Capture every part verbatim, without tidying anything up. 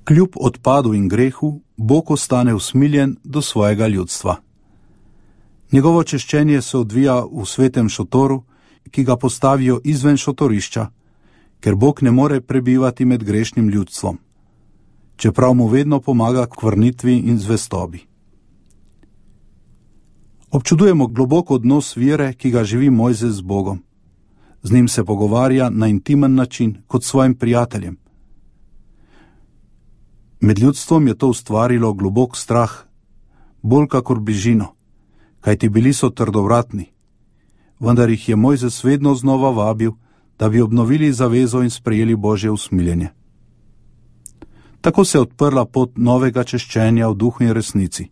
Kljub odpadu in grehu, Bog ostane usmiljen do svojega ljudstva. Njegovo češčenje se odvija v svetem šotoru, ki ga postavijo izven šotorišča, ker Bog ne more prebivati med grešnim ljudstvom, čeprav mu vedno pomaga k vrnitvi in zvestobi. Občudujemo globok odnos vere, ki ga živi Mojzes z Bogom. Z njim se pogovarja na intimen način, kot s svojim prijateljem. Med ljudstvom je to ustvarilo globok strah, bolj kakor bližino, kajti bili so trdovratni, vendar jih je Mojzes vedno znova vabil, da bi obnovili zavezo in sprejeli Božje usmiljenje. Tako se je odprla pot novega češčenja v duhu in resnici.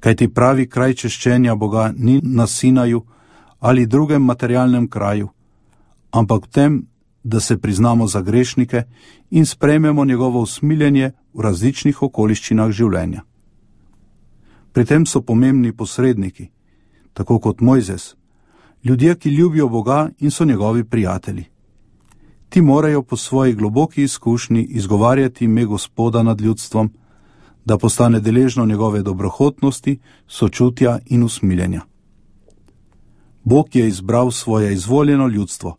Kajti pravi kraj češčenja Boga ni na Sinaju ali drugem materialnem kraju, ampak v tem, da se priznamo za grešnike in sprejmemo njegovo usmiljenje v različnih okoliščinah življenja. Pri tem so pomembni posredniki, tako kot Mojzes, ljudje, ki ljubijo Boga in so njegovi prijatelji. Ti morajo po svoji globoki izkušnji izgovarjati ime Gospoda nad ljudstvom, da postane deležno njegove dobrohotnosti, sočutja in usmiljenja. Bog je izbral svoje izvoljeno ljudstvo,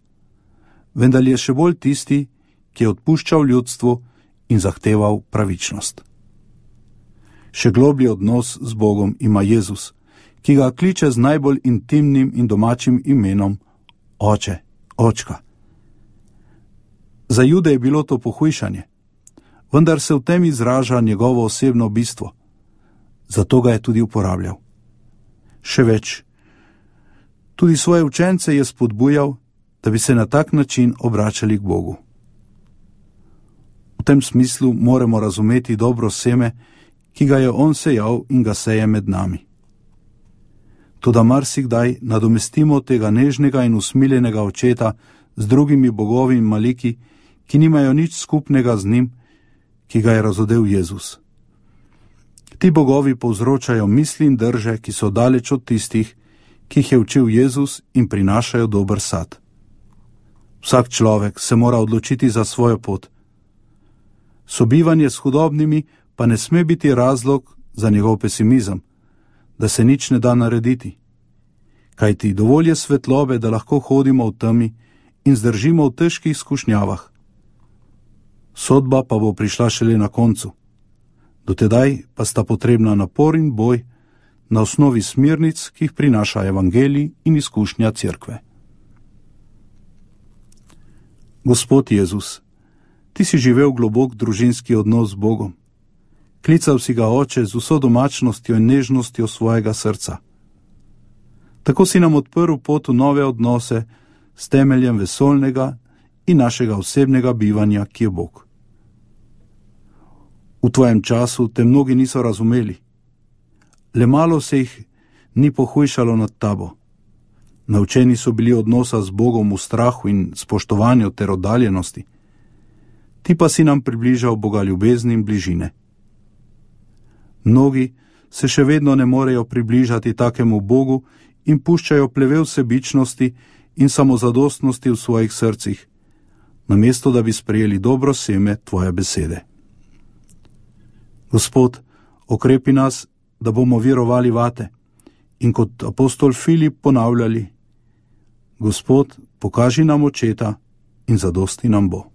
vendar je še bolj tisti, ki je odpuščal ljudstvu in zahteval pravičnost. Še globlji odnos z Bogom ima Jezus, ki ga kliče z najbolj intimnim in domačim imenom Oče, Očka. Za Jude je bilo to pohujšanje, vendar se v tem izraža njegovo osebno bistvo, zato ga je tudi uporabljal. Še več, tudi svoje učence je spodbujal, da bi se na tak način obračali k Bogu. V tem smislu moramo razumeti dobro seme, ki ga je on sejal in ga seje med nami. Toda marsikdaj nadomestimo tega nežnega in usmiljenega očeta z drugimi bogovi in maliki, ki nimajo nič skupnega z njim, ki ga je razodel Jezus. Ti bogovi povzročajo misli in drže, ki so daleč od tistih, ki jih je učil Jezus in prinašajo dober sad. Vsak človek se mora odločiti za svojo pot. Sobivanje s hudobnimi pa ne sme biti razlog za njegov pesimizem, da se nič ne da narediti. Kajti dovolj je svetlobe, da lahko hodimo v temi in zdržimo v težkih skušnjavah. Sodba pa bo prišla šele na koncu. Dotedaj pa sta potrebna napor in boj na osnovi smernic, ki jih prinaša evangelij in izkušnja cerkve. Gospod Jezus, ti si živel globok družinski odnos z Bogom. Klical si ga Oče z vso domačnostjo in nežnostjo svojega srca. Tako si nam odprl pot v nove odnose s temeljem vesoljnega in našega osebnega bivanja, ki je Bog. V tvojem času te mnogi niso razumeli. Le malo se jih ni pohujšalo nad tabo. Naučeni so bili odnosa z Bogom v strahu in spoštovanju ter oddaljenosti. Ti pa si nam približal Boga ljubezni in bližine. Mnogi se še vedno ne morejo približati takemu Bogu in puščajo plevel sebičnosti in samozadostnosti v svojih srcih, namesto da bi sprejeli dobro seme tvoje besede. Gospod, okrepi nas, da bomo verovali vate in kot apostol Filip ponavljali: Gospod, pokaži nam očeta in zadosti nam bo.